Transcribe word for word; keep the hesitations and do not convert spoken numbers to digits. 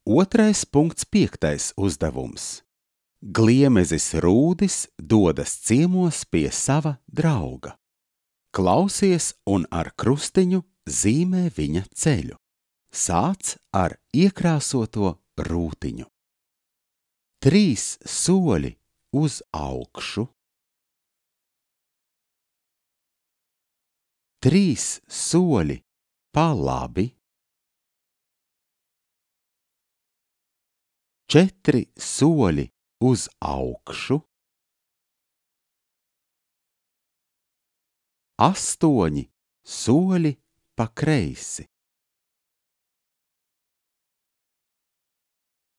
Otrais punkts piektais uzdevums. Gliemezis Rūdis dodas ciemos pie sava drauga. Klausies un ar krustiņu zīmē viņa ceļu. Sāc ar iekrāsoto rūtiņu. Trīs soļi uz augšu. Trīs soļi pa labi. Četri soļi uz augšu. Astoņi soļi pa kreisi.